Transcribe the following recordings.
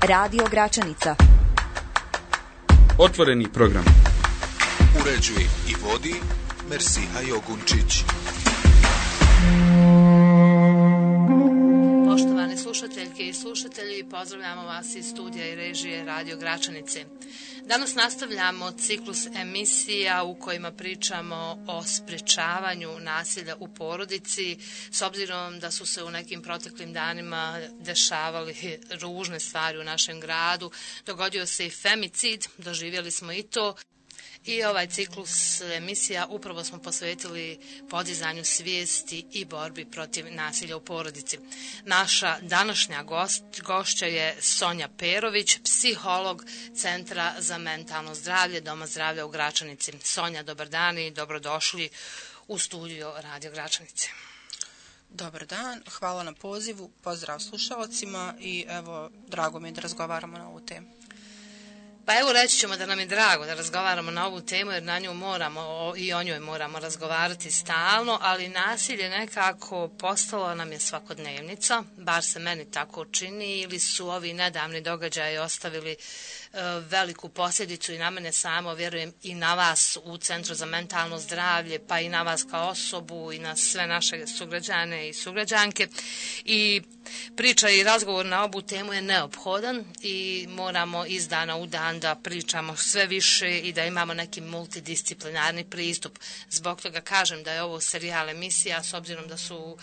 Radio Gračanica. Otvoreni program. Uređuje i vodi Mersiha Jogunčić. Poštovane slušateljke i slušatelji, pozdravljamo vas iz studija i režije Radio Gračanice. Danas nastavljamo ciklus emisija u kojima pričamo o sprečavanju nasilja u porodici, s obzirom da su se u nekim proteklim danima dešavali ružne stvari u našem gradu. Dogodio se i femicid, doživjeli smo i to. I ovaj ciklus emisija upravo smo posvetili podizanju svijesti i borbi protiv nasilja u porodici. Naša današnja gošća je Sonja Perović, psiholog Centra za mentalno zdravlje Doma zdravlja u Gračanici. Sonja, dobar dan i dobrodošli u studio Radio Gračanice. Dobar dan, hvala na pozivu, pozdrav slušalcima i evo, drago mi je da razgovaramo na ovu temu. Pa evo reći ćemo da nam je drago da razgovaramo na ovu temu jer na nju moramo i o njoj moramo razgovarati stalno, ali nasilje nekako postalo nam je svakodnevnica, bar se meni tako čini, ili su ovi nedavni događaji ostavili veliku posljedicu i na mene samo, vjerujem i na vas u Centru za mentalno zdravlje, pa i na vas kao osobu i na sve naše sugrađane i sugrađanke. I priča i razgovor na ovu temu je neophodan i moramo iz dana u dan da pričamo sve više i da imamo neki multidisciplinarni pristup. Zbog toga kažem da je ovo serijal emisija, s obzirom da su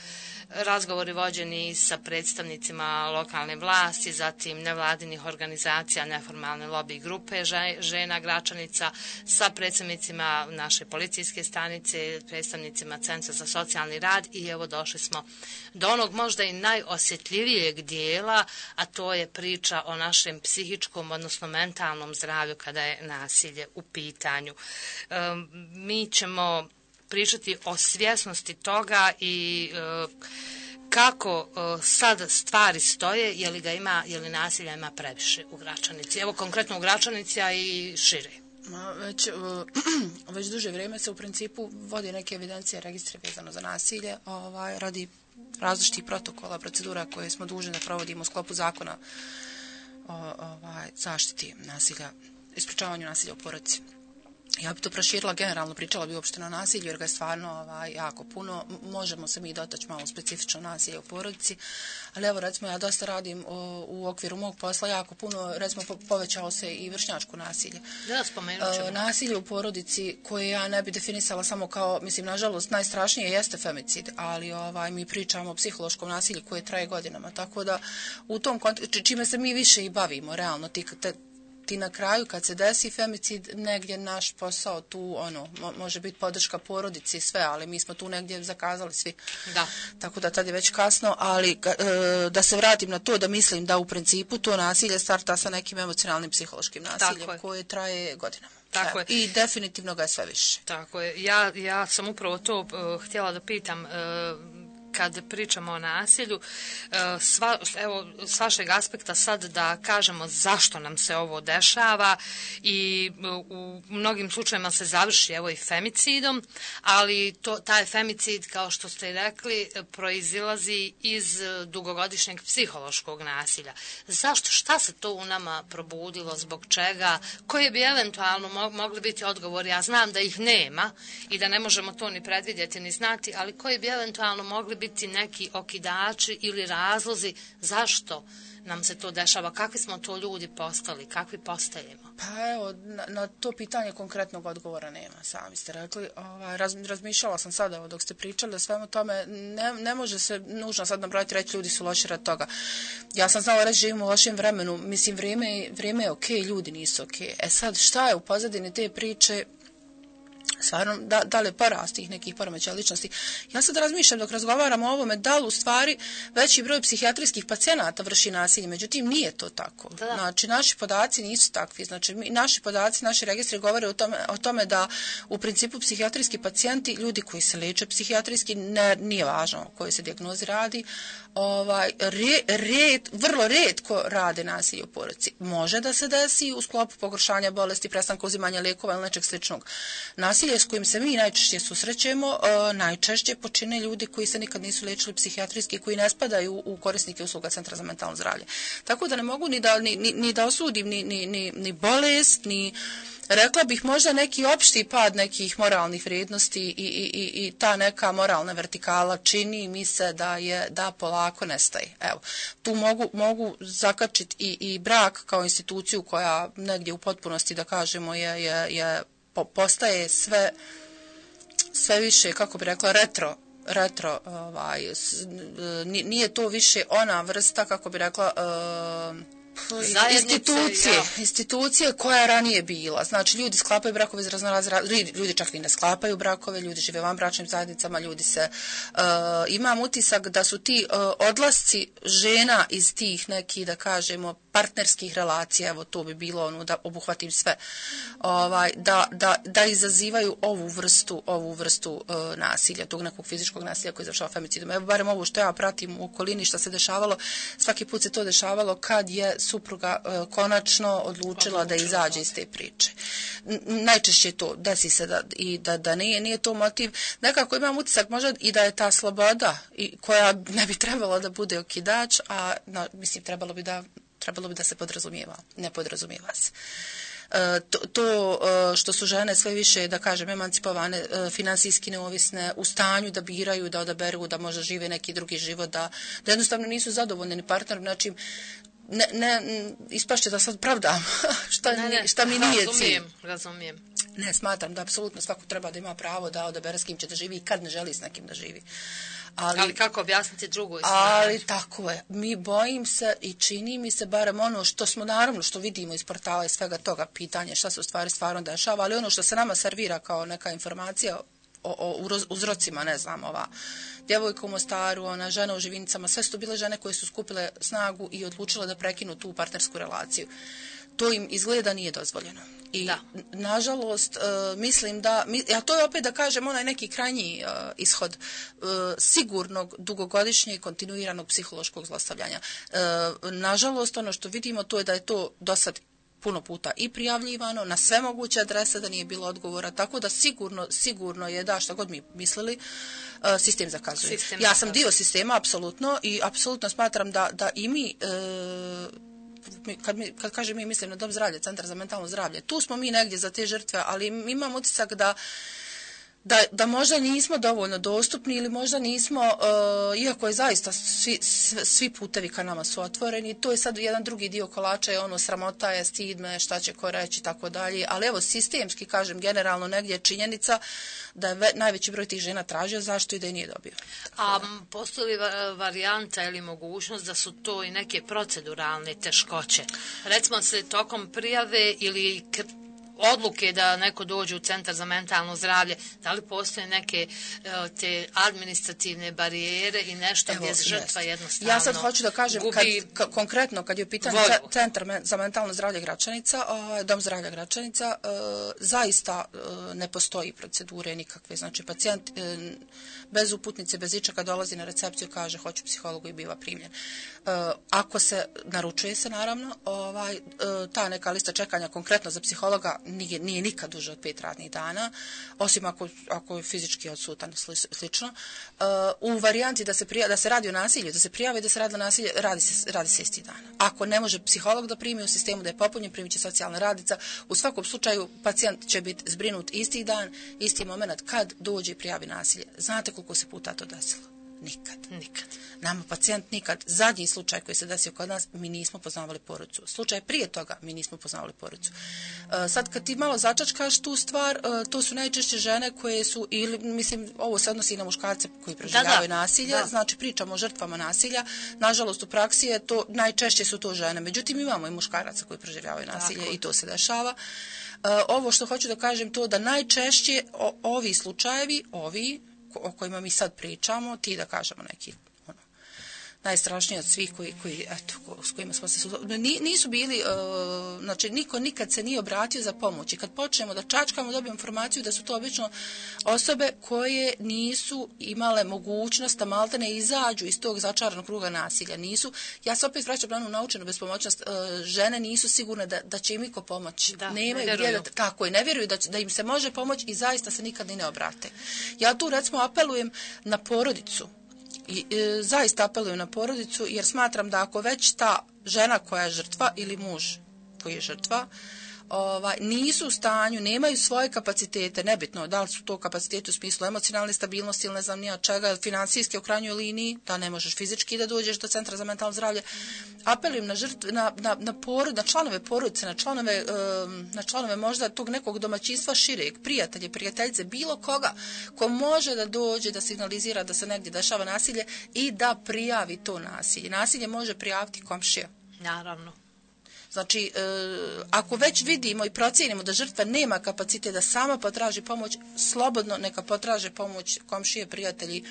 razgovori vođeni sa predstavnicima lokalne vlasti, zatim nevladinih organizacija, neformalne lobby grupe žena Gračanica, sa predstavnicima naše policijske stanice, predstavnicima Centra za socijalni rad i evo došli smo do onog možda i najosjetljivijeg dijela, a to je priča o našem psihičkom, odnosno mentalnom zdravlju kada je nasilje u pitanju. Mi ćemo pričati o svjesnosti toga i kako sad stvari stoje, je li nasilja ima previše u Gračanici. Evo konkretno u Gračanici, a i šire. Već duže vrijeme se u principu vodi neke evidencije, registre vezano za nasilje, radi različitih protokola, procedura koje smo dužni da provodimo u sklopu zakona o zaštiti nasilja, ispričavanju nasilja u porodici. Ja bi to proširila, generalno pričala bi uopšte na nasilju jer ga je stvarno jako puno. Možemo se mi dotaći malo specifično nasilje u porodici, ali evo recimo ja dosta radim u okviru mog posla jako puno, recimo povećao se i vršnjačko nasilje. Da, spomenut ćemo. Nasilje u porodici koje ja ne bi definisala samo kao, mislim, nažalost, najstrašnije jeste femicid, ali mi pričamo o psihološkom nasilju koje traje godinama, tako da u tom kontekstu, čime se mi više i bavimo, realno, ti na kraju kad se desi femicid, negdje naš posao tu može biti podrška porodici i sve, ali mi smo tu negdje zakazali svi. Da. Tako da tad je već kasno, ali da se vratim na to da mislim da u principu to nasilje starta sa nekim emocionalnim psihološkim nasiljem koje traje godinama. Tako je. I definitivno ga je sve više. Tako je. Ja sam upravo to htjela da pitam kad pričamo o nasilju, evo, s vašeg aspekta sad da kažemo zašto nam se ovo dešava i u mnogim slučajima se završi evo i femicidom, ali taj femicid, kao što ste rekli, proizilazi iz dugogodišnjeg psihološkog nasilja. Zašto? Šta se to u nama probudilo? Zbog čega? Koji bi eventualno mogli biti odgovori? Ja znam da ih nema i da ne možemo to ni predvidjeti ni znati, ali koji bi eventualno mogli biti neki okidači ili razlozi zašto nam se to dešava, kakvi smo to ljudi postali, kakvi postajemo? Pa evo, na to pitanje konkretnog odgovora nema, sami ste rekli. Razmišljala sam sada dok ste pričali o svemu tome, ne može se nužno sad nabrojati reći ljudi su loši rad toga. Ja sam znala reći živimo u lošem vremenu, mislim vrijeme je okej, ljudi nisu okej. Sad šta je u pozadini te priče? Stvarno, da li je porast tih nekih poremećaja ličnosti. Ja sad razmišljam dok razgovaramo o ovome, da li u stvari veći broj psihijatrijskih pacijenata vrši nasilje, međutim nije to tako. Da. Znači, naši podaci nisu takvi. Znači, naši podaci, naši registri govore o tome da u principu psihijatrijski pacijenti, ljudi koji se leče psihijatrijski, nije važno o kojoj se dijagnozi radi, vrlo rijetko rade nasilje u porodici. Može da se desi u sklopu pogoršanja bolesti, prestanka uzimanja lijekova ili nečeg sličnog. Nasilje nasilje s kojim se mi najčešće susrećemo, najčešće počine ljudi koji se nikad nisu liječili psihijatrijski, koji ne spadaju u korisnike usluga Centra za mentalno zdravlje. Tako da ne mogu ni da osudim ni bolest, ni rekla bih možda neki opšti pad nekih moralnih vrijednosti i ta neka moralna vertikala čini mi se da polako nestaje. Evo, tu mogu zakačiti i brak kao instituciju koja negdje u potpunosti, da kažemo, postaje sve više, kako bi rekla, retro, nije to više ona vrsta, kako bi rekla, institucije koja je ranije bila. Znači, ljudi sklapaju brakove iz ljudi čak i ne sklapaju brakove, ljudi žive van bračnim zajednicama, ljudi se... imam utisak da su ti odlasci žena iz tih nekih, da kažemo, partnerskih relacija, evo to bi bilo da obuhvatim sve, da izazivaju ovu vrstu nasilja, tog nekog fizičkog nasilja koji završava femicidom. Evo, barem ovo što ja pratim u okolini što se dešavalo, svaki put se to dešavalo kad je supruga konačno odlučila da izađe iz te priče. Najčešće to desi se da nije to motiv. Nekako imam utisak možda i da je ta sloboda koja ne bi trebala da bude okidač, a mislim trebalo bi da se podrazumijeva. Ne podrazumijeva se. To što su žene sve više, da kažem, emancipovane, finansijski neovisne, u stanju da biraju, da odaberu, da možda žive neki drugi život, da jednostavno nisu zadovoljni ni partnerom, znači ne ispašće da sad pravdam šta mi nije cilj. Razumijem. Ne, smatram da apsolutno svako treba da ima pravo da odabere s kim će da živi i kad ne želi s nekim da živi. Ali kako objasniti drugoj strani? Ali tako je. Mi bojim se i čini mi se barem ono što smo naravno što vidimo iz portala i svega toga pitanje šta se u stvari stvarno dešava, ali ono što se nama servira kao neka informacija o uzrocima, ne znam, ova djevojka u Mostaru, ona žena u Živinicama, sve su to bile žene koje su skupile snagu i odlučile da prekinu tu partnersku relaciju. To im izgleda nije dozvoljeno. I nažalost mislim da, a to je opet da kažem onaj neki krajnji ishod sigurnog dugogodišnjeg kontinuiranog psihološkog zlostavljanja. Nažalost ono što vidimo to je da je to do sad puno puta i prijavljivano na sve moguće adrese, da nije bilo odgovora, tako da sigurno je da što god mi mislili, sistem zakazuje. Ja sam dio sistema, apsolutno, i apsolutno smatram da i mi, kad kažem mi, mislim na Dom zdravlja, Centar za mentalno zdravlje, tu smo mi negdje za te žrtve, ali imam utisak da možda nismo dovoljno dostupni ili možda nismo, iako je zaista svi putevi ka nama su otvoreni, to je sad jedan drugi dio kolača, je ono sramota je, stid me, šta će ko reći, tako dalje, ali evo sistemski, kažem, generalno negdje je činjenica da je najveći broj tih žena tražio zašto i da je nije dobio. A postoji li varijanta ili mogućnost da su to i neke proceduralne teškoće? Recimo se tokom prijave ili odluke da neko dođe u Centar za mentalno zdravlje, da li postoje neke te administrativne barijere i nešto gdje žrtva jednostavno ja sad hoću da kažem, konkretno kad je u pitanju Centar za mentalno zdravlje Gračanica, Dom zdravlja Gračanica, zaista ne postoji procedure nikakve. Znači, pacijent bez uputnice, bez ičega dolazi na recepciju, kaže hoću psihologu i biva primljen. Ako se naručuje se, naravno, ta neka lista čekanja konkretno za psihologa nije nikad duže od 5 radnih dana, osim ako je fizički odsutan, slično. U varijanti da se radi o nasilju, da se prijave da se radi o nasilju, radi se isti dan. Ako ne može psiholog da primi u sistemu da je popunjen, primit će socijalna radnica. U svakom slučaju pacijent će biti zbrinut isti dan, isti moment kad dođe i prijavi nasilje. Znate koliko se puta to desilo? Nikad. Nama pacijent nikad. Zadnji slučaj koji se desio kod nas, mi nismo poznavali porodicu. Slučaj prije toga, mi nismo poznavali porodicu. Sad kad ti malo začačkaš tu stvar, to su najčešće žene koje su, ili mislim, ovo se odnosi i na muškarce koji proživljavaju nasilje, znači pričamo o žrtvama nasilja. Nažalost, u praksi je to, najčešće su to žene. Međutim, imamo i muškaraca koji proživljavaju nasilje i to se dešava. Ovo što hoću da kažem to da najčešće ovi slučajevi, o kojima mi sad pričamo, ti da kažemo neki najstrašniji od svih koji eto, s kojima smo se nisu bili, znači niko nikad se nije obratio za pomoć. I kad počnemo da čačkamo, dobijemo informaciju da su to obično osobe koje nisu imale mogućnost da maltene izađu iz tog začaranog kruga nasilja. Nisu, ja se opet vraćam na onu naučenu bespomoćnost, žene nisu sigurne da će im iko pomoći. Nemaju gdje tako je, ne vjeruju da im se može pomoći i zaista se nikad ni ne obrate. Ja tu recimo apelujem na porodicu. I zaista apelujem na porodicu jer smatram da ako već ta žena koja je žrtva ili muž koji je žrtva nisu u stanju, nemaju svoje kapacitete, nebitno da li su to kapaciteti u smislu emocionalne stabilnosti ili ne znam nija čega, financijske u krajnjoj liniji, da ne možeš fizički da dođeš do centra za mentalno zdravlje. Apelujem na članove porodice, na članove možda tog nekog domaćinstva šireg, prijatelje, prijateljice, bilo koga ko može da dođe, da signalizira da se negdje dešava nasilje i da prijavi to nasilje. Nasilje može prijaviti komšija. Naravno. Znači, ako već vidimo i procijenimo da žrtva nema kapacitet da sama potraži pomoć, slobodno neka potraže pomoć komšije, prijatelji,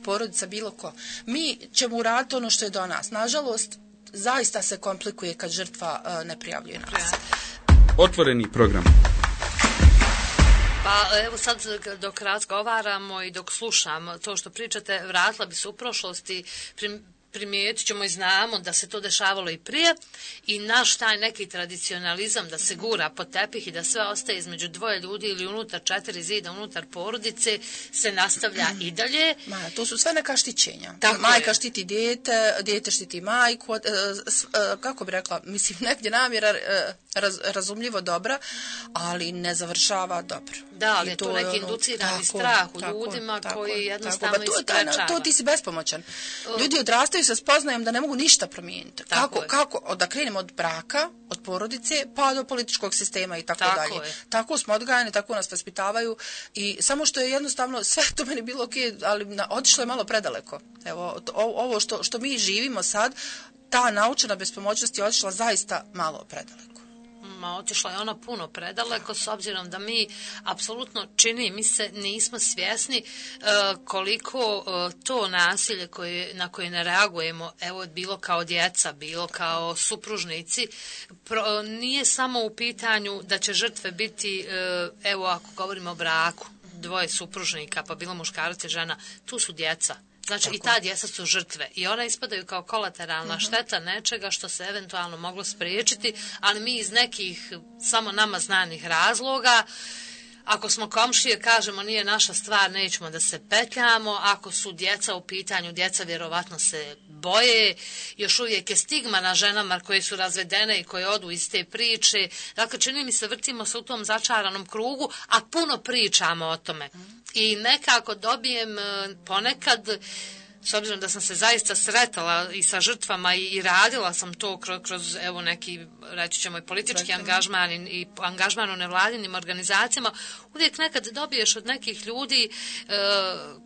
porodica, bilo ko. Mi ćemo uraditi ono što je do nas. Nažalost, zaista se komplikuje kad žrtva ne prijavljuje nasilje. Otvoreni program. Pa evo sad dok razgovaramo i dok slušam to što pričate, vratila bi se u prošlosti, primijetit ćemo i znamo da se to dešavalo i prije i naš taj neki tradicionalizam da se gura pod tepih i da sve ostaje između dvoje ljudi ili unutar 4 zida, unutar porodice se nastavlja i dalje. To su sve neka štićenja. Tako majka je. Štiti dijete štiti majku, kako bi rekla, mislim negdje namjera razumljivo dobra, ali ne završava dobro. Da, ali je to neki inducirani strah u ljudima koji jednostavno isprečava. To ti si bespomoćan. Ljudi odrastaju sa spoznajom da ne mogu ništa promijeniti. Kako? Da krenemo od braka, od porodice, pa do političkog sistema i tako dalje. Tako smo odgajani, tako nas vaspitavaju i samo što je jednostavno sve to meni bilo okej, ali otišlo je malo predaleko. Evo, ovo što mi živimo sad, ta naučena bespomoćnost je otišla zaista malo predaleko. Otišla je ona puno predaleko s obzirom da mi apsolutno čini mi se nismo svjesni koliko to nasilje na koje ne reagujemo, evo bilo kao djeca, bilo kao supružnici, nije samo u pitanju da će žrtve biti, evo ako govorimo o braku, dvoje supružnika, pa bilo muškarac i žena, tu su djeca. Znači tako. I ta djeca su žrtve i ona ispadaju kao kolateralna šteta nečega što se eventualno moglo spriječiti, ali mi iz nekih samo nama znanih razloga, ako smo komšije, kažemo nije naša stvar, nećemo da se petljamo, ako su djeca u pitanju, djeca vjerovatno se boje, još uvijek je stigma na ženama koje su razvedene i koje odu iz te priče, dakle čini mi se vrtimo se u tom začaranom krugu, a puno pričamo o tome. I nekako dobijem ponekad, s obzirom da sam se zaista sretala i sa žrtvama i radila sam to kroz evo neki, reći ćemo, i politički angažman i angažman u nevladinim organizacijama, uvijek nekad dobiješ od nekih ljudi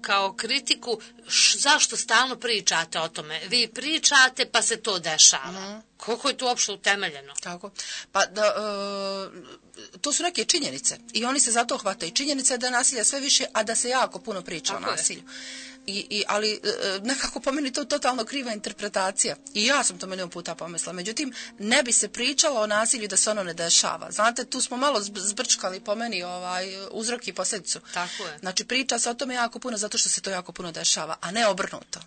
kao kritiku zašto stalno pričate o tome. Vi pričate pa se to dešava. Koliko je to uopšte utemeljeno? Tako. Pa to su neke činjenice i oni se zato hvataju. Činjenica je da je nasilja sve više, a da se jako puno priča o nasilju. Ali nekako po meni to totalno kriva interpretacija. I ja sam to milion puta pomislila. Međutim, ne bi se pričalo o nasilju da se ono ne dešava. Znate, tu smo malo zbrčkali po meni uzrok i posljedicu. Tako je. Znači, priča se o tome jako puno zato što se to jako puno dešava, a ne obrnuto.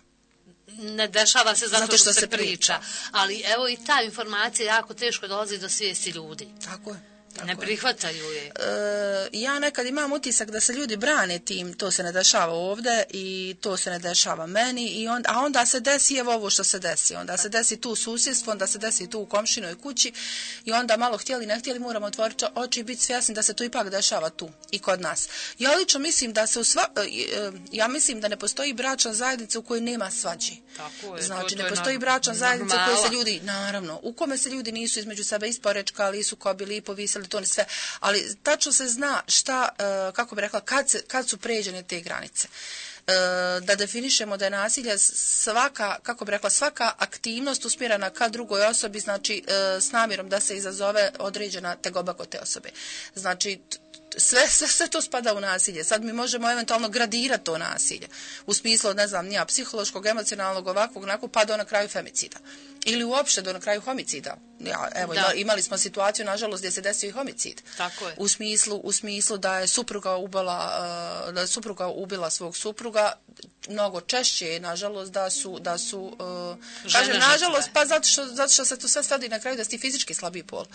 Ne dešava se zato što se priča. Ali evo i ta informacija jako teško dolazi do svijesti ljudi. Tako je. Ne prihvataju je. Ja nekad imam utisak da se ljudi brane tim, to se ne dešava ovdje i to se ne dešava meni, a onda se desi evo ovo što se desi. Onda se desi tu u susjedstvu, onda se desi tu u komšinoj kući i onda malo htjeli, ne htjeli, moramo otvoriti oči i biti svjesni da se to ipak dešava tu i kod nas. Ja lično mislim da se ja mislim da ne postoji bračna zajednica u kojoj nema svađi. Tako je. Znači, ne postoji bračna zajednica u kojoj se ljudi, naravno, u kome se ljudi nisu između sebe isporečkali, nisu kobili, povisili, to ni sve, ali tačno se zna šta, kako bi rekla, kad su pređene te granice. Da definišemo da je nasilje svaka, kako bi rekla, svaka aktivnost usmjerena ka drugoj osobi, znači s namjerom da se izazove određena tegoba kod te osobe. Znači, sve to spada u nasilje. Sad mi možemo eventualno gradirati to nasilje. U smislu, ne znam, nija psihološkog, emocionalnog, ovakvog, onako, pa do na kraju femicida. Ili uopšte do na kraju homicida. Ja, evo, imali smo situaciju, nažalost, gdje se desio i homicid. Tako je. U smislu da je supruga ubila svog supruga, mnogo češće je, nažalost, da su kažem, nažalost, pa zato što se to sve svodi na kraju da si ti fizički slabiji pol.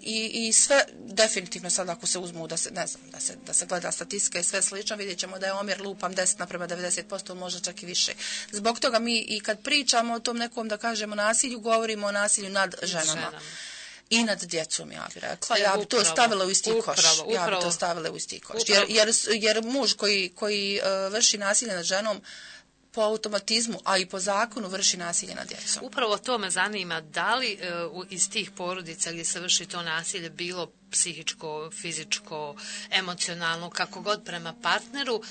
I sve, definitivno sad ako se uzmu, da se gleda statistika i sve slično, vidjet ćemo da je omjer lupam 10:90%, možda čak i više. Zbog toga mi i kad pričamo o tom nekom, da kažemo, nasilju, govorimo o nasilju nad ženama. I nad djecom, ja bih rekla. Ja bi to stavila u isti koš. Ja bi to stavila u isti koš. Jer muž koji vrši nasilje nad ženom po automatizmu, a i po zakonu vrši nasilje nad djecom. Upravo to me zanima. Da li iz tih porodica gdje se vrši to nasilje bilo psihičko, fizičko, emocionalno, kako god prema partneru,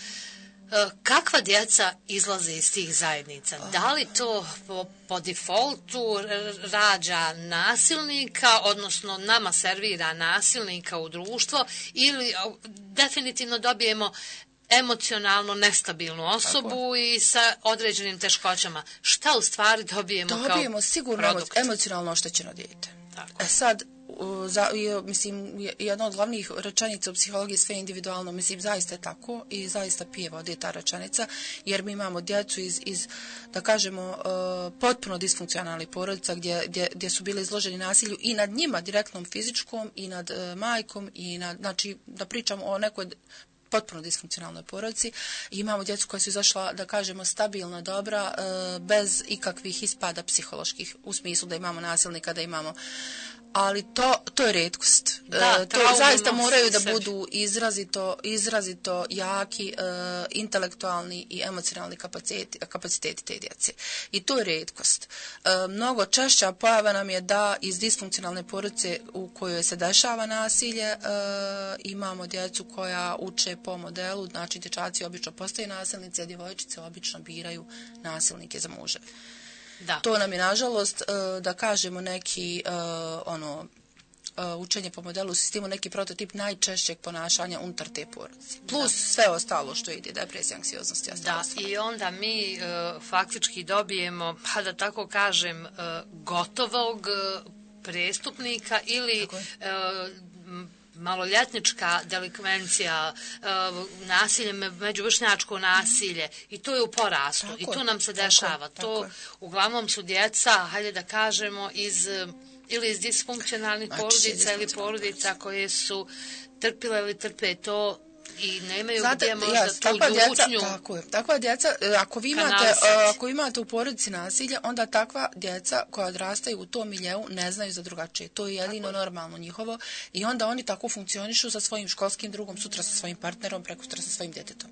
kakva djeca izlaze iz tih zajednica? Da li to po defaultu rađa nasilnika, odnosno nama servira nasilnika u društvo, ili definitivno dobijemo emocionalno nestabilnu osobu i sa određenim teškoćama? Šta u stvari dobijemo kao produkt? Dobijemo sigurno emocionalno oštećeno dijete. Tako. Sad, mislim, jedna od glavnih rečenica u psihologiji sve individualno, mislim, zaista je tako i zaista pije vode ta rečenica, jer mi imamo djecu iz da kažemo, potpuno disfunkcionalnih porodica gdje su bili izloženi nasilju i nad njima, direktnom fizičkom, i nad majkom, i znači, da pričamo o nekoj potpuno disfunkcionalnoj porodici. I imamo djecu koja su izašla, da kažemo, stabilna, dobra, bez ikakvih ispada psiholoških, u smislu da imamo nasilnika, da imamo. Ali to je retkost. To zaista moraju da budu izrazito jaki, intelektualni i emocionalni kapaciteti te djece. I to je retkost. Mnogo češća pojava nam je da iz disfunkcionalne porodice u kojoj se dešava nasilje imamo djecu koja uče po modelu, znači dječaci obično postaju nasilnici, a djevojčice obično biraju nasilnike za muževe. Da. To nam je, nažalost, da kažemo, neki učenje po modelu sistemu, neki prototip najčešćeg ponašanja unutar te porodice. Plus sve ostalo što ide, depresija, anksioznost i ostalo. Da, i onda mi faktički dobijemo, pa da tako kažem, gotovog prestupnika ili maloljetnička delikvencija, nasilje, međuvršnjačko nasilje, i to je u porastu. I to nam se dešava. To uglavnom su djeca, hajde da kažemo, ili iz disfunkcionalnih porodica ili porodica koje su trpile ili trpe to i nemaju gdje možda tu ljučnju. Takva djeca, ako vi imate u porodici nasilje, onda takva djeca koja odrastaju u tom miljeu ne znaju za drugačije. To je jedino normalno njihovo i onda oni tako funkcionišu sa svojim školskim drugom, sutra sa svojim partnerom, prekosutra sa svojim djetetom.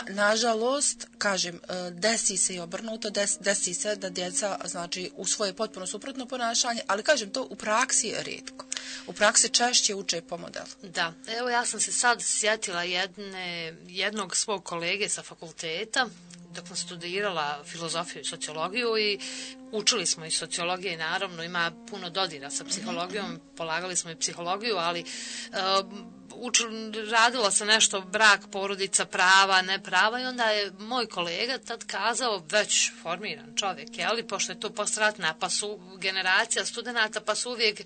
Nažalost, kažem, desi se i obrnuto, desi se da djeca, znači, u svoje potpuno suprotno ponašanje, ali kažem, to u praksi je rijetko. U praksi češće uče po modelu. Da, evo ja sam se sad sjetila jednog svog kolege sa fakulteta dok sam studirala filozofiju i sociologiju i učili smo i sociologije, naravno ima puno dodira sa psihologijom, polagali smo i psihologiju, ali radila se nešto brak, porodica, prava, ne prava, i onda je moj kolega tad kazao, već formiran čovjek, ali pošto je to postratna, pa su generacija studenata, pa su uvijek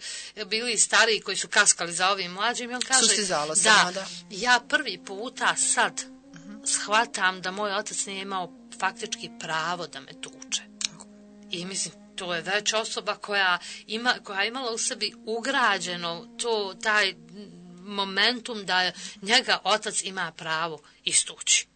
bili stariji koji su kaskali za ovim mlađim, i on kaže, ja prvi puta sad shvatam da moj otac nije imao faktički pravo da me tuče. I mislim, to je već osoba koja je imala u sebi ugrađeno taj momentum da njega otac ima pravo istući.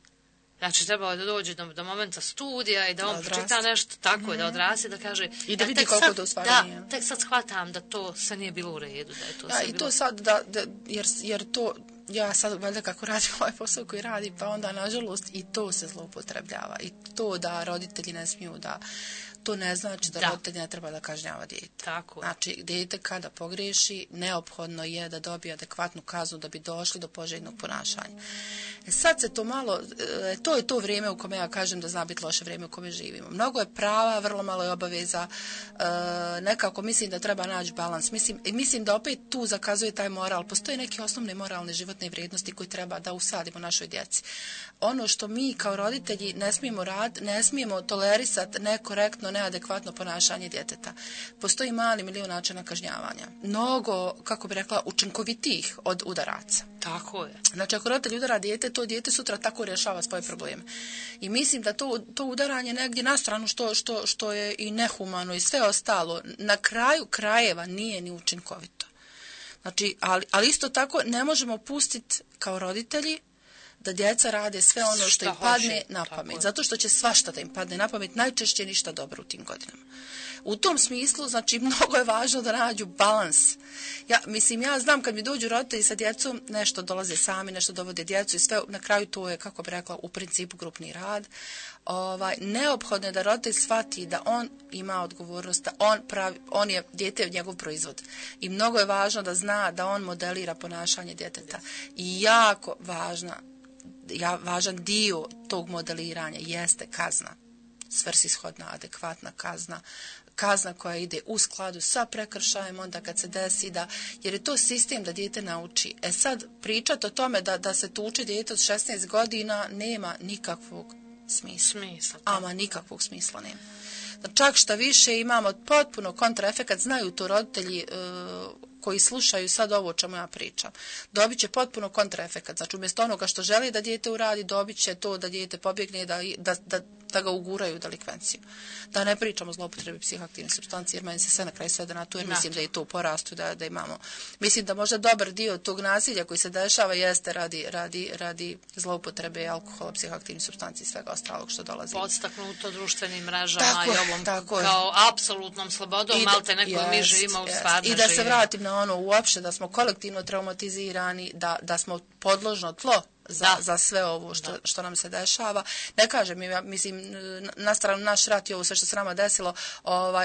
Znači, trebalo je da dođe do momenta studija i da on pročita nešto tako, da odraste, da kaže... I da vidi koliko to u stvari nije. Da, tek sad shvatam da to sve nije bilo u redu, da je to sve bilo... I to sad, jer to... Ja sad valjda kako radim ovaj posao koji radi, pa onda nažalost i to se zloupotrebljava. I to da roditelji ne smiju da to ne znači da roditelj ne treba da kažnjava dijete. Tako je. Znači, dijete kada pogriješi, neophodno je da dobije adekvatnu kaznu da bi došli do poželjnog ponašanja. Sad se to malo, to je to vrijeme u kome ja kažem da zna biti loše vrijeme u kome živimo. Mnogo je prava, vrlo malo je obaveza, nekako mislim da treba naći balans. Mislim da opet tu zakazuje taj moral. Postoje neke osnovne moralne životne vrijednosti koje treba da usadimo našoj djeci. Ono što mi kao roditelji ne smijemo tolerisati nekorektno, neadekvatno ponašanje djeteta. Postoji mali milion načina kažnjavanja. Mnogo, kako bi rekla, učinkovitijih od udaraca. Tako je. Znači, ako roditelj udara dijete, to dijete sutra tako rješava svoje probleme. I mislim da to udaranje negdje na stranu što je i nehumano i sve ostalo, na kraju krajeva nije ni učinkovito. Znači, ali isto tako ne možemo pustiti kao roditelji da djeca rade sve ono što im padne na pamet. Zato što će svašta da im padne na pamet, najčešće ništa dobro u tim godinama. U tom smislu, znači, mnogo je važno da nađu balans. Ja znam kad mi dođu roditelji sa djecom, nešto dolaze sami, nešto dovode djecu i sve, na kraju to je, kako bi rekla, u principu grupni rad. Neophodno je da roditelj shvati da on ima odgovornost, da on je dijete njegov proizvod. I mnogo je važno da zna da on modelira ponašanje djeteta. I jako važan dio tog modeliranja jeste kazna. Svrsishodna, adekvatna kazna koja ide u skladu sa prekršajem onda kad se desi jer je to sistem da dijete nauči. Sad pričati o tome da se tuče dijete od 16 godina nema nikakvog smisla. Ama nikakvog smisla nema. Čak šta više imamo potpuno kontraefekat, znaju to roditelji koji slušaju sad ovo o čemu ja pričam. Dobit će potpuno kontraefekat. Znači, umjesto onoga što želi da dijete uradi, dobit će to da dijete pobjegne, da ga uguraju u delikvenciju. Da ne pričamo o zloupotrebi psihoaktivnih supstanci, jer meni se sve na kraju svede na to, jer mislim da je to u porastu, da imamo. Mislim da možda dobar dio tog nasilja koji se dešava jeste radi zloupotrebe alkohola, psihoaktivnih supstanci i svega ostalog što dolazi. Podstaknuto društvenim mrežama i ovom kao apsolutnom slobodom, malte neko mi živimo u stvarno i da se vratim na ono uopšte, da smo kolektivno traumatizirani, da smo podložno tlo za sve ovo što nam se dešava. Ne kažem, mislim, na stranu naš rat i ovo sve što se nama desilo,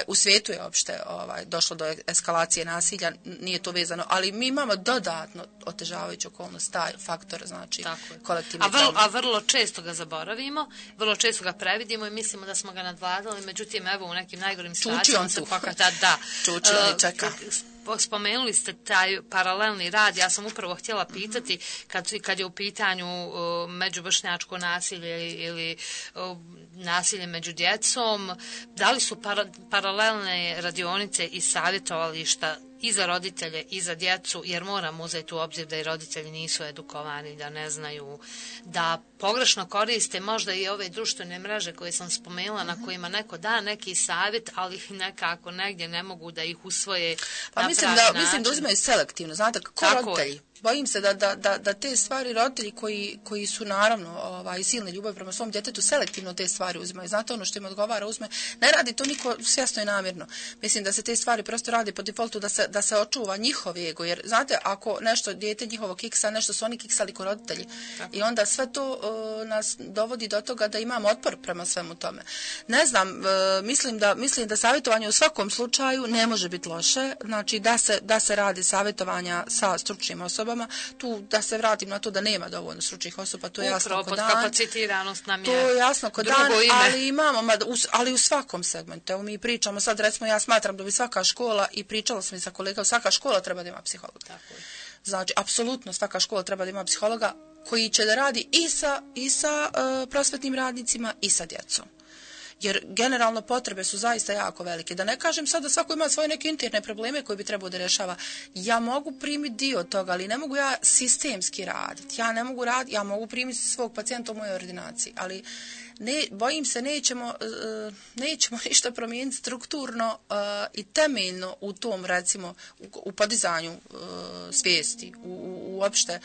u svijetu je uopšte došlo do eskalacije nasilja, nije to vezano, ali mi imamo dodatno otežavajuću okolnost, taj faktor, znači, kolektivni trauma. A vrlo često ga zaboravimo, vrlo često ga previdimo i mislimo da smo ga nadvladali, međutim, evo, u nekim najgorim situacijama se pokata da. Čuči on i čeka. Spomenuli ste taj paralelni rad, ja sam upravo htjela pitati kad je u pitanju međuvršnjačko nasilje ili nasilje među djecom, da li su paralelne radionice i savjetovališta i za roditelje i za djecu, jer moramo uzeti u obzir da i roditelji nisu edukovani, da ne znaju, da pogrešno koriste možda i ove društvene mreže koje sam spomenula, na kojima neko da neki savjet, ali ih nekako negdje ne mogu da ih usvoje na pravi način. Mislim da uzimaju selektivno, znate, kako roditelji. Bojim se da te stvari roditelji koji su naravno silne ljubavi prema svom djetetu selektivno te stvari uzimaju. Znate, ono što im odgovara uzme. Ne radi to niko svjesno i namjerno. Mislim da se te stvari prosto radi po defaultu da se očuva njihov ego. Jer znate, ako nešto dijete njihovo kiksa, nešto su oni kiksali ko roditelji. I onda sve to nas dovodi do toga da imamo otpor prema svemu tome. Ne znam, mislim da savjetovanje u svakom slučaju ne može biti loše. Znači da se radi savjetovanja sa stručnim osobama. Tu da se vratim na to da nema dovoljno stručnih osoba, to je jasno kod dan. Kapacitiranost nam je to je jasno kod dan, ime. ali u svakom segmentu. Evo mi pričamo sad, recimo ja smatram da bi svaka škola, i pričala sam i sa kolegama, svaka škola treba da ima psihologa. Tako je. Znači, apsolutno svaka škola treba da ima psihologa koji će da radi i sa prosvetnim radnicima i sa djecom. Jer generalno potrebe su zaista jako velike. Da ne kažem sad da svako ima svoje neke interne probleme koje bi trebao da rješava. Ja mogu primiti dio toga, ali ne mogu ja sistemski raditi. Ja mogu primiti svog pacijenta u mojoj ordinaciji, ali bojim se nećemo ništa promijeniti strukturno i temeljno u tom, recimo, u podizanju svijesti, uopšte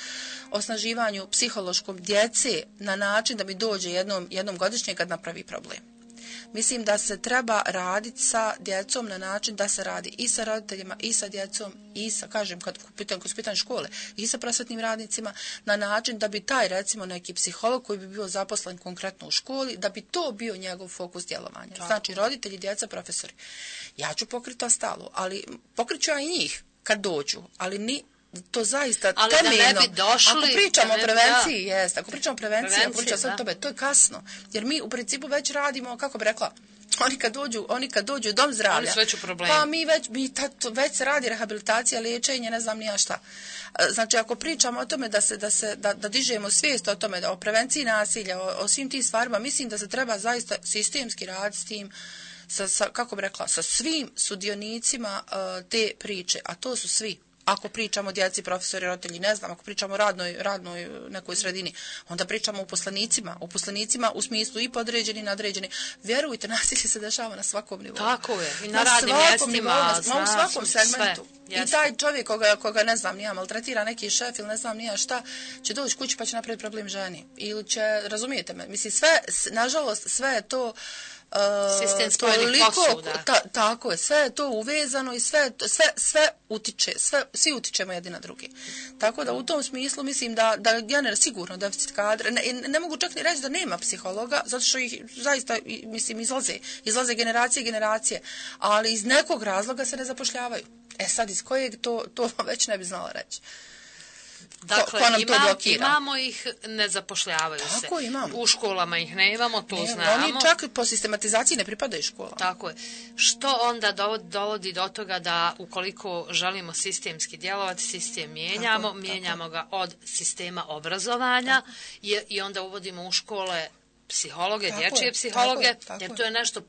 osnaživanju psihološkom djece na način da mi dođe jednom godišnje kad napravi problem. Mislim da se treba raditi sa djecom na način da se radi i sa roditeljima, i sa djecom, i sa, kažem, kad su pitanje škole, i sa prosvetnim radnicima, na način da bi taj, recimo, neki psiholog koji bi bio zaposlen konkretno u školi, da bi to bio njegov fokus djelovanja. Znači, roditelji, djeca, profesori. Ja ću pokriti ostalo, ali pokriću ja i njih kad dođu, ali ni to zaista ali temeljno. Da ne bi došli, ako pričamo o prevenciji, jest, ako pričamo o prevenciji, ako pričamo o tome, to je kasno. Jer mi u principu već radimo, kako bi rekla, oni kad dođu u dom zdravlja, oni su već u problemu. Pa već se radi rehabilitacija, liječenje, ne znam ni ja šta. Znači, ako pričamo o tome da dižemo svijest o tome, o prevenciji nasilja, o svim tim stvarima, mislim da se treba zaista sistemski raditi s tim, kako bi rekla, sa svim sudionicima te priče, a to su svi. Ako pričamo o djeci, profesori, roditelji, ne znam, ako pričamo o radnoj nekoj sredini, onda pričamo o uposlenicima u smislu i podređeni i nadređeni. Vjerujte, nasilje se dešava na svakom nivou. Tako je, i na radnim mjestima, u svakom segmentu. Sve, i taj čovjek koga ne znam, nija maltretira neki šef ili ne znam nija šta, će doći kući pa će napraviti problem ženi. Ili će, razumijete me, mislim, nažalost, sve je to sistem spojenih posuda. Tako je, sve je to uvezano i sve utiče, svi utičemo jedni na drugi. Tako da u tom smislu mislim da generalno sigurno deficit kadra, ne mogu čak ni reći da nema psihologa, zato što ih zaista, mislim, izlaze generacije, ali iz nekog razloga se ne zapošljavaju. Sad iz kojeg to već ne bi znala reći. Dakle, imamo ih, ne zapošljavaju se. Tako, imamo. U školama ih ne imamo, to znamo. Oni čak po sistematizaciji ne pripadaju školama. Tako je. Što onda dovodi do toga da ukoliko želimo sistemski djelovati, sistem mijenjamo ga od sistema obrazovanja i onda uvodimo u škole psihologe, dječje psihologe, jer to je nešto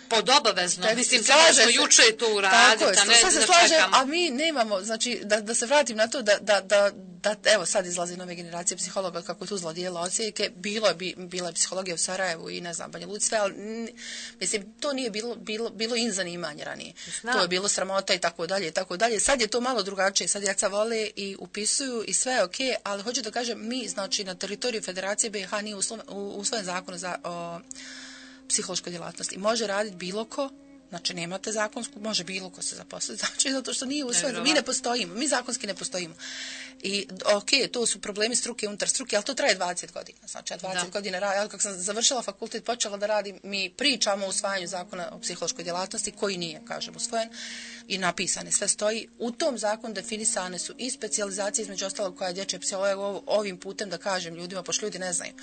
pod obavezno. Mislim, treba smo juče to uraditi, a ne da čekamo. A mi nemamo, znači, da se vratim na to da evo sad izlazi nove generacije psihologa kako je tu zlodijela odsjeke, bila je psihologija u Sarajevu i ne znam, Banja Luci, sve, ali mislim, to nije bilo in zanimanje ranije. To je bilo sramota i tako dalje. Sad je to malo drugačije, sad djeca vole i upisuju i sve je okej, ali hoću da kažem, mi, znači, na teritoriju Federacije BiH nije usvojen zakon o psihološkoj djelatnosti. Može raditi bilo ko, znači nemate zakonsku, može bilo ko se zaposliti, znači zato što nije usvojeno. Mi ne postojimo, mi zakonski ne postojimo. I to su problemi struke unutar struke, ali to traje 20 godina. Znači, 20 godina radim, ali kako sam završila fakultet, počela da radim, mi pričamo o usvajanju zakona o psihološkoj djelatnosti, koji nije, kažem, usvojen i napisane, sve stoji. U tom zakonu definisane su i specijalizacije, između ostalog koja je dječja psihologa, ovim putem da kažem ljudima, pošto ljudi ne znaju.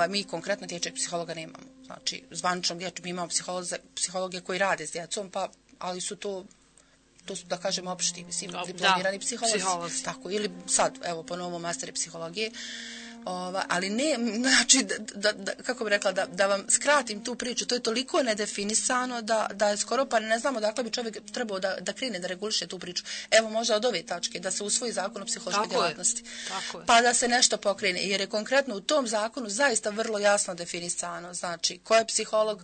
Mi konkretno dječjeg psihologa nemamo. Znači, zvaničnog dječjeg, mi imamo psihologe koji rade s djecom, ali su to su, da kažem, opšti, mislim, diplomirani psiholozi. Tako, ili sad, evo, po novom masteri psihologije. Ali ne, znači, kako bi rekla, da vam skratim tu priču, to je toliko nedefinisano da je skoro pa ne znamo dakle bi čovjek trebao da krene da reguliše tu priču. Evo, možda od ove tačke, da se usvoji zakon o psihološkoj djelatnosti. Pa da se nešto pokrene, jer je konkretno u tom zakonu zaista vrlo jasno definisano, znači, ko je psiholog,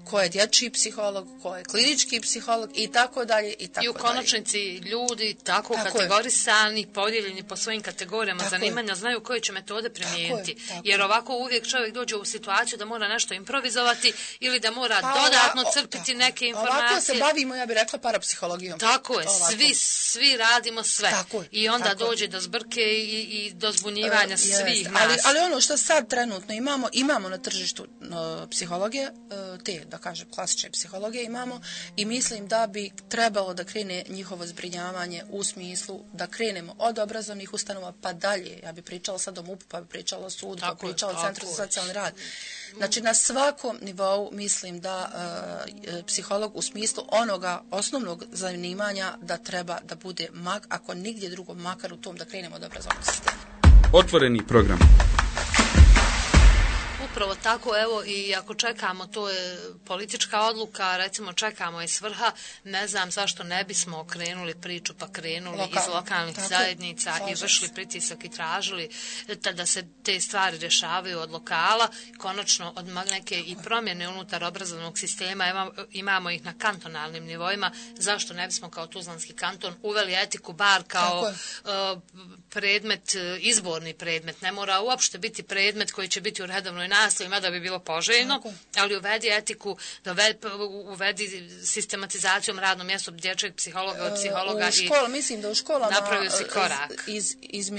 ko je dječji psiholog, ko je klinički psiholog i tako dalje i tako dalje. I u konačnici ljudi tako kategorisani, podijeljeni po svojim kategorijama zanimanja, znaju koje će metode primijeniti. Jer ovako uvijek čovjek dođe u situaciju da mora nešto improvizovati ili da mora dodatno crpiti neke informacije. Ovako se bavimo, ja bih rekla, parapsihologijom. Tako je, svi radimo sve. I onda dođe do zbrke i do zbunjivanja svih nas. Ali ono što sad trenutno imamo na tržištu psihologije, da kažem, klasične psihologije imamo i mislim da bi trebalo da krene njihovo zbrinjavanje u smislu da krenemo od obrazovnih ustanova pa dalje. Ja bi pričala sad o MUP-u, pa bi pričala o sudu, pa bi pričala o Centru za socijalni rad. Znači, na svakom nivou mislim da psiholog u smislu onoga osnovnog zanimanja da treba da bude ako nigdje drugo, makar u tom da krenemo od obrazovnog sistema. Otvoreni program. Upravo tako, evo, i ako čekamo, to je politička odluka, recimo čekamo iz vrha, ne znam zašto ne bismo okrenuli priču pa krenuli iz lokalnih zajednica i vršili pritisak i tražili da se te stvari rješavaju od lokala, konačno od neke i promjene unutar obrazovnog sistema, imamo ih na kantonalnim nivoima, zašto ne bismo kao Tuzlanski kanton uveli etiku bar kao predmet, izborni predmet, ne mora uopšte biti predmet koji će biti u redovnoj nastavi, nasiljem, da bi bilo poželjno, ali uvedi etiku, uvedi sistematizacijom radnom mjestu dječjeg psihologa od psihologa i mislim da u školama napravio si korak. Iz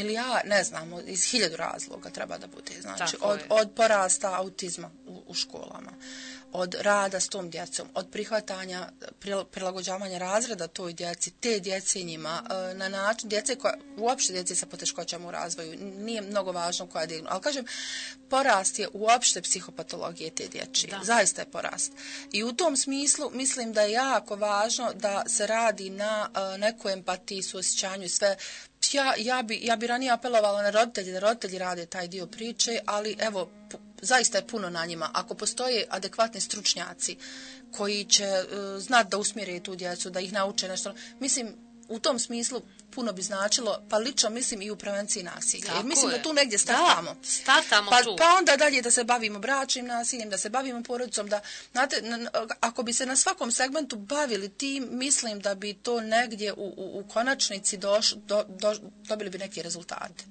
ne znamo, iz 1000 razloga treba da bude. Znači, od porasta autizma u školama, od rada s tom djecom, od prihvatanja, prilagođavanja razreda toj djeci, te djece njima, na način, uopšte djece sa poteškoćama u razvoju, nije mnogo važno koja je, ali kažem, porast je uopšte psihopatologije te dječje. Zaista je porast. I u tom smislu mislim da je jako važno da se radi na nekoj empatiji, suosjećanju i sve. Ja bi ranije apelovala na roditelji, da roditelji rade taj dio priče, ali evo, zaista je puno na njima. Ako postoje adekvatni stručnjaci koji će znati da usmjere tu djecu, da ih nauče nešto, mislim, u tom smislu puno bi značilo, pa lično mislim i u prevenciji nasilja. Jer mislim da tu negdje startamo. Pa onda dalje da se bavimo bračnim nasiljem, da se bavimo porodicom, da, znate, ako bi se na svakom segmentu bavili tim, mislim da bi to negdje u konačnici dobili bi neki rezultate.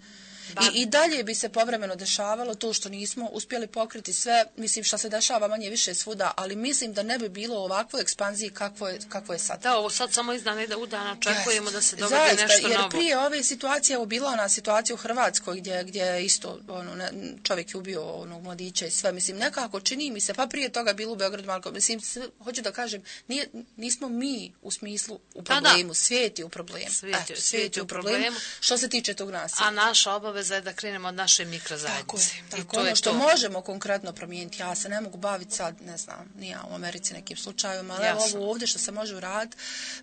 I dalje bi se povremeno dešavalo to što nismo uspjeli pokriti sve, mislim što se dešava manje više svuda, ali mislim da ne bi bilo ovakvoj ekspanziji kakvo je sad. Da, ovo sad samo iz dana u dan očekujemo da se dogodi nešto novo. Jer prije ove situacije, ovo bila ona situacija u Hrvatskoj gdje isto čovjek je ubio onog mladića i sve, mislim nekako čini mi se, pa prije toga bilo u Beogradu malo, mislim, hoću da kažem, nismo mi u smislu u problemu, svijet je u problemu. Svijet je u problemu što se tiče tog nasilja. A naša obaveza je da krenemo od naše mikrozajednice. Tako, ono što možemo konkretno promijeniti, ja se ne mogu baviti sad, ne znam, nije u Americi nekim slučajima, ali ovo ovdje što se može uraditi,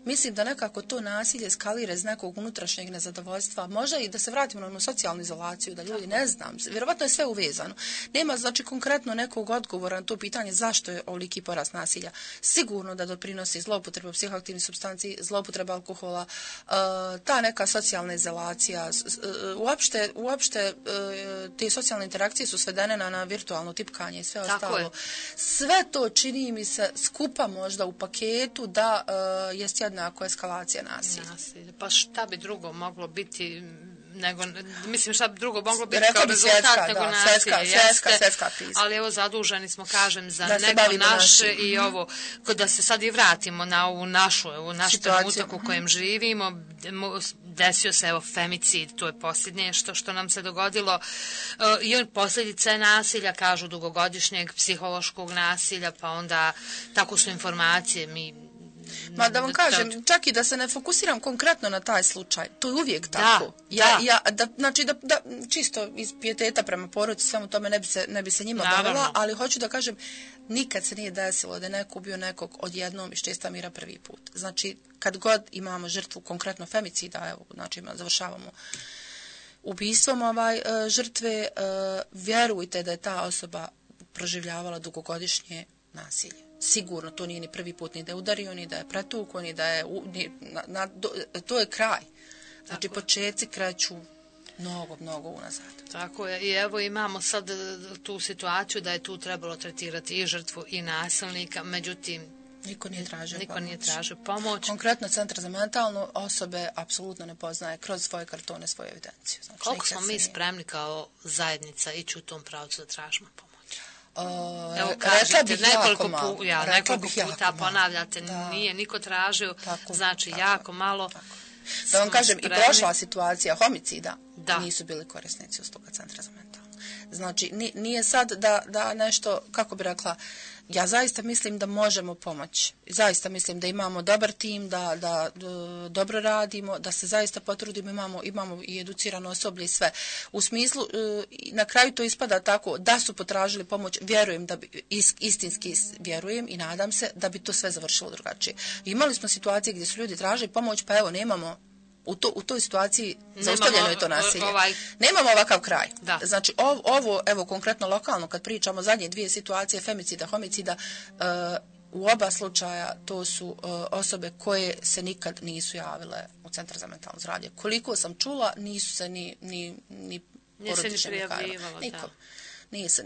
mislim da nekako to nasilje eskalira iz nekog unutrašnjeg nezadovoljstva, možda i da se vratimo na socijalnu izolaciju, da ljudi ne znam, vjerovatno je sve uvezano. Nema znači konkretno nekog odgovora na to pitanje zašto je ovoliki porast nasilja. Sigurno da doprinosi zloupotreba psihoaktivnih supstanci, zloupotreba alkohola, ta neka socijalna izolacija, uopšte te socijalne interakcije su svedene na virtualno tipkanje i sve ostalo. Sve to čini mi se skupa možda u paketu da jest jednako eskalacija nasilja. Pa šta bi drugo moglo biti mislim šta bi drugo moglo biti kao rezultat nego nasilje. Svjetska kriza. Ali evo zaduženi smo, kažem, za neko naše i ovo, da se sad i vratimo na ovu naš trenutak u kojem živimo. Desio se, evo, femicid, to je posljednje što nam se dogodilo. I posljedica je nasilja, kažu, dugogodišnjeg psihološkog nasilja, pa onda tako su informacije, Ma da vam kažem, čak i da se ne fokusiram konkretno na taj slučaj, to je uvijek tako. Znači da čisto iz pijeteta prema porodici, samo tome ne bi se njima bavila, ali hoću da kažem, nikad se nije desilo da je neko ubio nekog odjednom iz čista mira prvi put. Znači, kad god imamo žrtvu, konkretno femicida, evo, znači završavamo ubistvom žrtve, vjerujte da je ta osoba proživljavala dugogodišnje nasilje. Sigurno to nije ni prvi put ni da je udario, ni da je pretukao, ni da je... to je kraj. Znači, početci kreću mnogo unazad. Tako je. I evo imamo sad tu situaciju da je tu trebalo tretirati i žrtvu i nasilnika, međutim... Niko nije tražio pomoć. Konkretno Centar za mentalno osobe apsolutno ne poznaje kroz svoje kartone, svoju evidenciju. Znači, koliko smo mi spremni kao zajednica ići u tom pravcu da tražimo pomoć? Evo kažete, nekoliko puta ponavljate, nije niko tražio, znači jako malo. Da vam kažem, i prošla situacija homicida nisu bili korisnici usluga Centra za mentalno. Znači, nije sad da nešto, kako bi rekla, ja zaista mislim da možemo pomoći. Zaista mislim da imamo dobar tim, da dobro radimo, da se zaista potrudimo, imamo i educirano osoblje i sve. U smislu, na kraju to ispada tako da su potražili pomoć, vjerujem da bi, istinski vjerujem i nadam se da bi to sve završilo drugačije. Imali smo situacije gdje su ljudi tražili pomoć, pa evo nemamo u toj situaciji zaustavljeno je to nasilje. Nemamo ovakav kraj. Da. Znači, ovo, evo, konkretno lokalno, kad pričamo zadnje dvije situacije, femicida, homicida, u oba slučaja to su osobe koje se nikad nisu javile u Centar za mentalno zdravlje. Koliko sam čula, nisu se ni porodične prijavljivalo. Niko.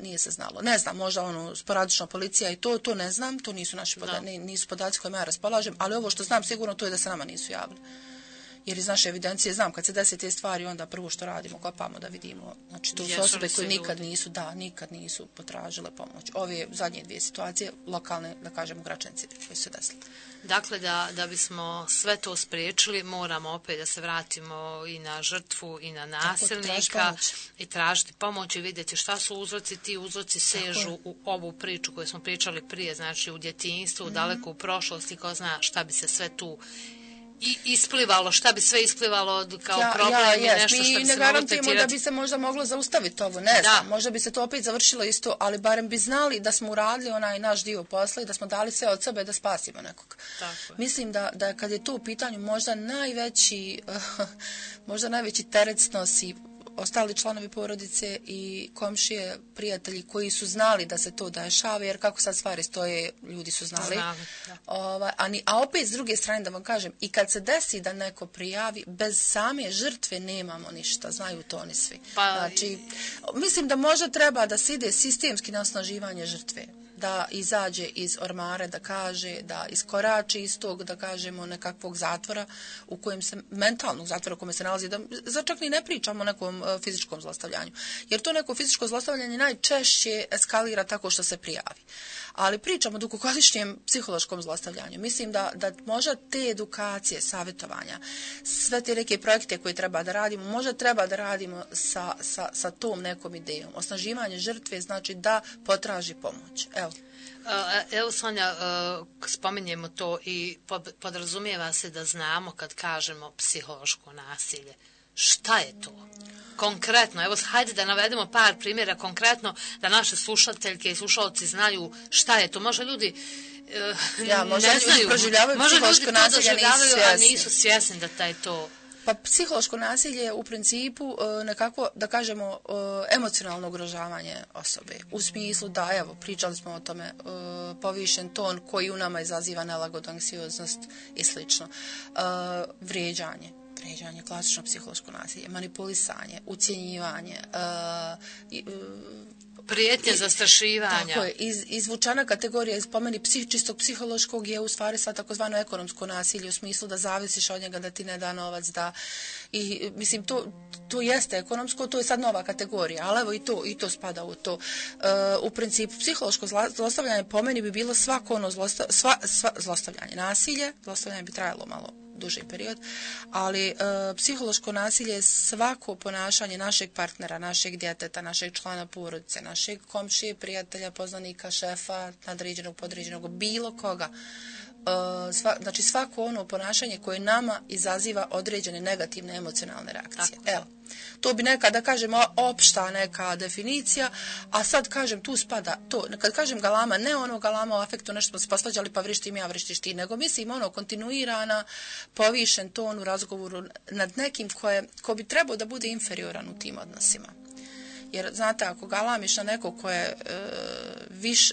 Nije se znalo. Ne znam, možda sporadična policija i to ne znam, to nisu naši nisu podaci kojima ja raspolažem, ali ovo što znam sigurno to je da se nama nisu javili. jer iz naše evidencije znam kad se desi te stvari, onda prvo što radimo, kopamo da vidimo. Znači, to su osobe koje nikad nisu potražile pomoć. Ove zadnje 2 situacije, lokalne, da kažemo, Gračenci koje su desile. Dakle, da bismo sve to spriječili, moramo opet da se vratimo i na žrtvu i na nasilnika i tražiti pomoć i vidjeti šta su uzroci. Ti uzroci sežu u ovu priču koju smo pričali prije, znači u djetinjstvu, daleko u prošlosti, ko zna šta bi se sve tu i isplivalo, šta bi sve isplivalo kao problem i nešto što bi se moglo tretirati. Mi ne garantujemo da bi se možda moglo zaustaviti ovo, ne znam, možda bi se to opet završilo isto, ali barem bi znali da smo uradili onaj naš dio posla i da smo dali sve od sebe da spasimo nekog. Mislim da kad je to u pitanju možda najveći teret snosi ostali članovi porodice i komšije, prijatelji koji su znali da se to dešava, jer kako sad stvari stoje, ljudi su znali. A opet s druge strane da vam kažem, i kad se desi da neko prijavi, bez same žrtve nemamo ništa, znaju to oni svi. Znači, mislim da možda treba da se ide sistemski na osnaživanje žrtve, da izađe iz ormare, da kaže, da iskorači iz tog, da kažemo, nekakvog zatvora u kojem se, mentalnog zatvora u kojem se nalazi, da čak ni ne pričamo o nekom fizičkom zlostavljanju. Jer to neko fizičko zlostavljanje najčešće eskalira tako što se prijavi. Ali pričamo o dugogodišnjem psihološkom zlostavljanju. Mislim da možda te edukacije, savjetovanja, sve te neke projekte koje treba da radimo, možda treba da radimo sa tom nekom idejom. Osnaživanje žrtve znači da potraži pomoć. Evo Sonja, spominjemo to i podrazumijeva se da znamo kad kažemo psihološko nasilje. Šta je to? Konkretno, evo hajde da navedemo par primjera konkretno da naše slušateljke i slušalci znaju šta je to. Možda ljudi možda ne znaju, možda ljudi to doživljavaju, a nisu svjesni da taj to... Pa psihološko nasilje je u principu nekako, da kažemo, emocionalno ugrožavanje osobe. U smislu da, evo, pričali smo o tome, povišen ton koji u nama izaziva nelagodu, anksioznost i slično. Vrijeđanje, klasično psihološko nasilje, manipulisanje, ucjenjivanje, prijetnje, zastrašivanja. Tako je, izvučana kategorija iz po meni čistog psihološkog je u stvari sva takozvano ekonomsko nasilje u smislu da zavisiš od njega, da ti ne da novac, i mislim to jeste ekonomsko, to je sad nova kategorija, ali evo i to spada u to. U principu psihološko zlostavljanje po meni bi bilo svako ono zlostavljanje, nasilje, zlostavljanje bi trajalo malo duži period, ali psihološko nasilje je svako ponašanje našeg partnera, našeg djeteta, našeg člana porodice, našeg komšije, prijatelja, poznanika, šefa, nadređenog, podređenog, bilo koga. Znači svako ono ponašanje koje nama izaziva određene negativne emocionalne reakcije. Evo, to bi neka, da kažemo, opšta neka definicija, a sad kažem, tu spada to, kad kažem galama, ne ono galama o afektu, nešto smo se posvađali pa vrištim ja, vrištiš ti, nego mislim ono kontinuirana, povišen ton u razgovoru nad nekim ko bi trebao da bude inferioran u tim odnosima. Jer, znate, ako galamiš na nekog ko je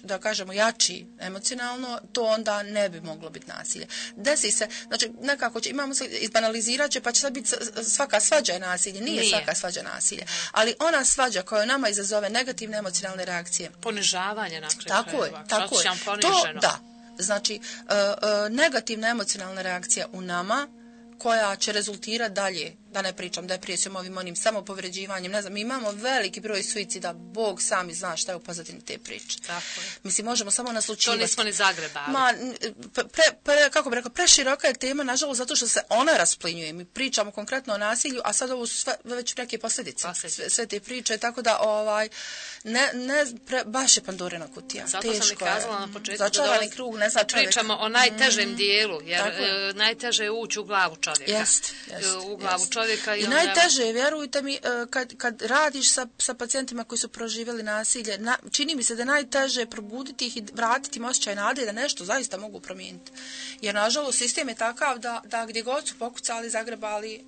da kažemo, jači emocionalno, to onda ne bi moglo biti nasilje. Desi se, znači, nekako imamo se, izbanalizirat će, pa će sad biti svaka svađa je nasilje. Nije svaka svađa nasilje. Ali ona svađa koja nama izazove negativne emocionalne reakcije. Ponižavanje na kraju. Tako je. To, da. Znači, negativna emocionalna reakcija u nama, koja će rezultirati dalje, da ne pričam depresijom, onim samopovređivanjem, ne znam, mi imamo veliki broj suicida, Bog sami zna šta je u pozadini te priče. Tako je. Mislim, možemo samo naslučivati. To nismo ni zagrebali. Kako bih rekao, preširoka je tema, nažalost, zato što se ona rasplinjuje. Mi pričamo konkretno o nasilju, a sad ovo su već neke posljedice. Sve te priče, tako da, baš je Pandorina kutija. Zato sam i kazala na početku začarani krug, ne zna čovjek. Pričamo o najtežem dijelu, jer najteže je ući u glavu čovjeka. U glavu čovjeka. I najteže je, vjerujte mi, kad radiš sa pacijentima koji su proživjeli nasilje, čini mi se da je najteže probuditi ih i vratiti im osjećaj nade da nešto zaista mogu promijeniti. Jer, nažalost, sistem je takav da gdje god su pokucali, zagrebali,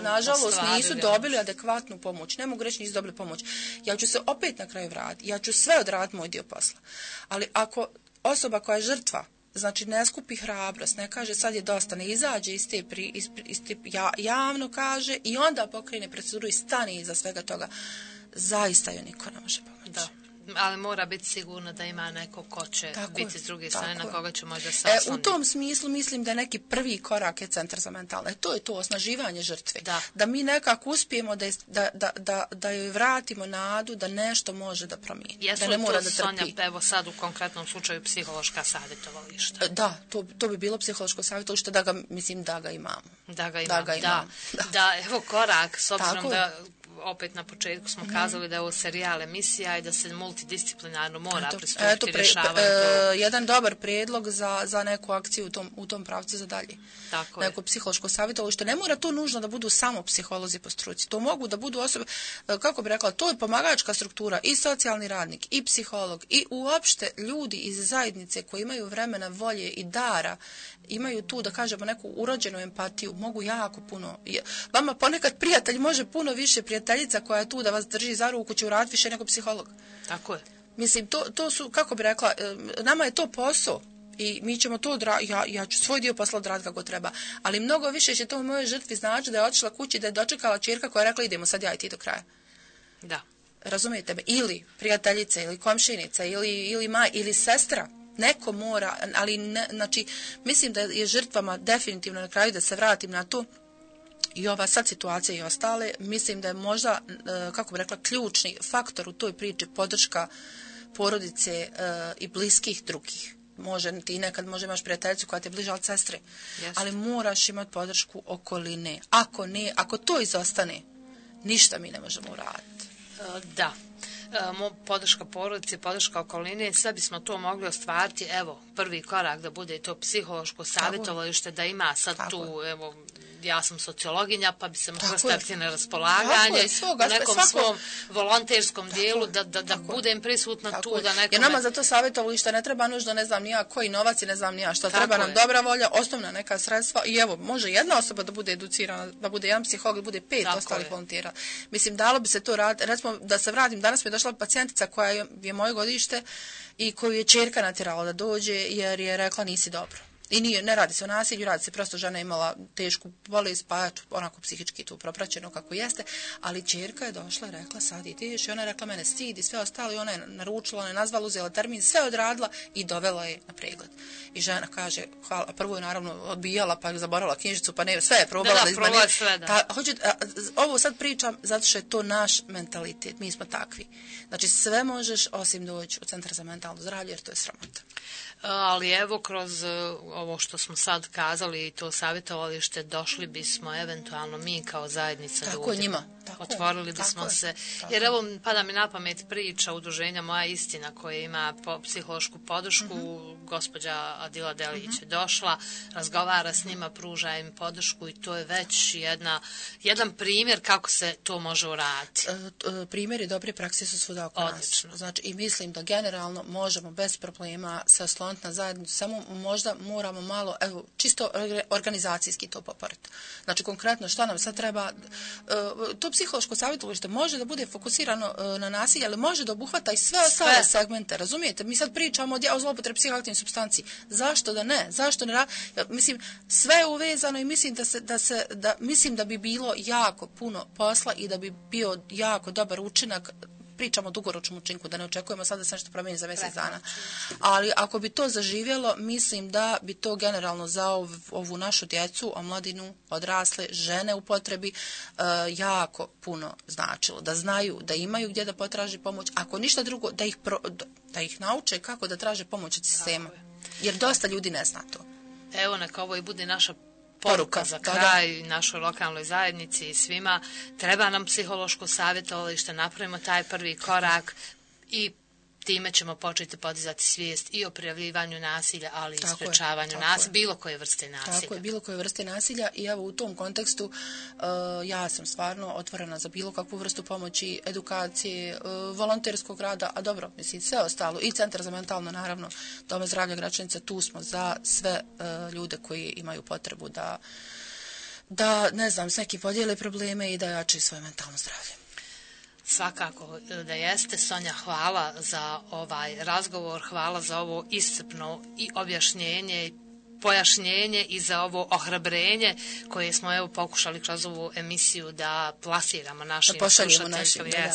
nažalost, nisu dobili adekvatnu pomoć. Ne mogu reći nisu dobili pomoć. Ja ću se opet na kraju vratiti. Ja ću sve odraditi moj dio posla. Ali ako osoba koja je žrtva, znači ne skupi hrabrost, ne kaže sad je dosta, ne izađe iz te javno kaže i onda pokrene proceduru i stane iza svega toga, zaista joj niko ne može pomoći. Da. Ali mora biti sigurno da ima neko ko će biti s druge strane, na koga će možda se osloniti. U tom smislu mislim da neki prvi korak je Centar za mentalno. To je to osnaživanje žrtve. Da mi nekako uspijemo da joj vratimo nadu da nešto može da promijeni. Jesu da ne mora to, da trpi. Sonja, evo sad u konkretnom slučaju psihološka savjetovališta? Da, to bi bilo psihološko savjetovalište da ga imamo. Da ga imamo. Da, evo korak, s obzirom Tako da opet na početku smo kazali da je ovo serijal emisija i da se multidisciplinarno mora pristupiti rješavanju. Jedan dobar prijedlog za neku akciju u tom pravcu za dalje. Tako neko psihološko savjetovalište. Ne mora to nužno da budu samo psiholozi po struci. To mogu da budu osobe, kako bi rekla, to je pomagačka struktura i socijalni radnik i psiholog i uopšte ljudi iz zajednice koji imaju vremena, volje i dara, imaju tu, da kažemo, neku urođenu empatiju, mogu jako puno. Vama ponekad prijatelj može puno više, prijateljica koja je tu da vas drži za ruku će uraditi više nego psiholog. Tako je. Mislim, to su, kako bi rekla, nama je to posao i mi ćemo to ja ću svoj dio posla odraditi kako treba, ali mnogo više će to u mojoj žrtvi znači da je otišla kući, da je dočekala ćerka koja je rekla idemo sad ja i ti do kraja. Da. Razumijete me? Ili prijateljica, ili komšinica, ili sestra. Neko mora, ali ne, znači, mislim da je žrtvama definitivno na kraju, da se vratim na to, i ova sad situacija i ostale, mislim da je možda, kako bi rekla, ključni faktor u toj priči podrška porodice i bliskih drugih. Ti nekad možda imaš prijateljicu koja te bliža od sestre, ali moraš imati podršku okoline. Ako to izostane, ništa mi ne možemo uraditi. Da. Podrška porodice, podrška okoline, sve bismo to mogli ostvariti, evo, prvi korak da bude to psihološko savjetovalište, da ima sad tu, evo, ja sam sociologinja, pa bi se mogla staviti na raspolaganje u nekom svom volonterskom dijelu, da budem prisutna tu, da nekome... Jer nama za to savjetovalište ne treba nužno, ne znam nija koji novac i ne znam nija što, treba nam dobra volja, osnovna neka sredstva i evo, može jedna osoba da bude educirana, da bude jedan psiholog, da bude 5 ostalih volontera. Mislim, dalo bi se to raditi, recimo, da se vratim, danas mi je došla pacijentica koja je moje godište i koju je ćerka natjerala da dođe jer je rekla nisi dobro. I ne radi se o nasilju, radi se prosto žena imala tešku bolest, pa onako psihički tu propraćeno kako jeste, ali ćerka je došla i rekla sad ideš i ona je rekla mene stidi, sve ostalo i ona je naručila, ona je nazvala, uzela termin, sve odradila i dovela je na pregled. I žena kaže, hvala, prvo je naravno odbijala, pa je zaboravila knjižicu, pa ne, sve je probala da izmeni. Ovo sad pričam zato što je to naš mentalitet, mi smo takvi. Znači sve možeš osim doći u Centar za mentalno zdravlje jer to je sramota. Ali evo kroz ovo što smo sad kazali i to savjetovalište došli bismo eventualno mi kao zajednica tako ljudi. Njima. Otvorili bismo se. Jer evo pada mi na pamet priča udruženja Moja istina koja ima psihološku podršku. Gospođa Adila Delić je došla, razgovara s njima, pruža im podršku i to je već jedan primjer kako se to može uraditi. Primjeri dobre prakse su svuda oko nas. Znači, i mislim da generalno možemo bez problema se osloniti na zajednicu, samo možda moramo malo, evo, čisto organizacijski to poporiti. Znači, konkretno šta nam sad treba, to psihološko savjetovalište može da bude fokusirano na nasilje, ali može da obuhvata i sve ostale segmente, razumijete? Mi sad pričamo o zloupotrebi psihoaktivnih supstanci. Zašto da ne? Zašto ne? Mislim, sve je uvezano i mislim da bi bilo jako puno posla i da bi bio jako dobar učinak. Pričamo o dugoročnom učinku, da ne očekujemo sad da se nešto promijeni za mjesec dana. Ali ako bi to zaživjelo, mislim da bi to generalno za ovu našu djecu, omladinu, odrasle, žene u potrebi, jako puno značilo. Da znaju, da imaju gdje da potraži pomoć. Ako ništa drugo, da ih nauče kako da traže pomoć od sistema. Jer dosta ljudi ne zna to. Evo, neka ovo i bude naša poruka za kraj našoj lokalnoj zajednici i svima. Treba nam psihološko savjetovalište, napravimo taj prvi korak i time ćemo početi podizati svijest i o prijavljivanju nasilja, ali i sprečavanju nasilja, bilo koje vrste nasilja. Tako je, bilo koje vrste nasilja i evo u tom kontekstu ja sam stvarno otvorena za bilo kakvu vrstu pomoći, edukacije, volonterskog rada, a dobro, mislim, sve ostalo, i Centar za mentalno, naravno, Doma zdravlja Gračanica, tu smo za sve ljude koji imaju potrebu da ne znam, s neki podijele probleme i da jačaju svoje mentalno zdravlje. Svakako da jeste. Sonja, hvala za ovaj razgovor, hvala za ovo iscrpno i objašnjenje pojašnjenje i za ovo ohrabrenje koje smo evo pokušali kroz ovu emisiju da plasiramo našim slušateljkama.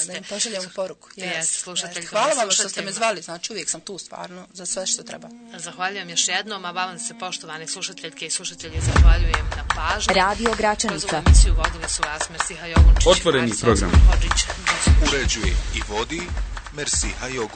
Da im pošaljemo poruku. Hvala vam što ste me zvali, znači uvijek sam tu stvarno za sve što treba. Zahvaljujem još jednom, a vam se poštovani slušateljke i slušatelji zahvaljujem na pažnji. Radio Gračanica. Kroz ovu emisiju vodili su vas Mersiha Jogunčić. Otvoreni program. Uređuje i vodi Mersiha Jogunčić.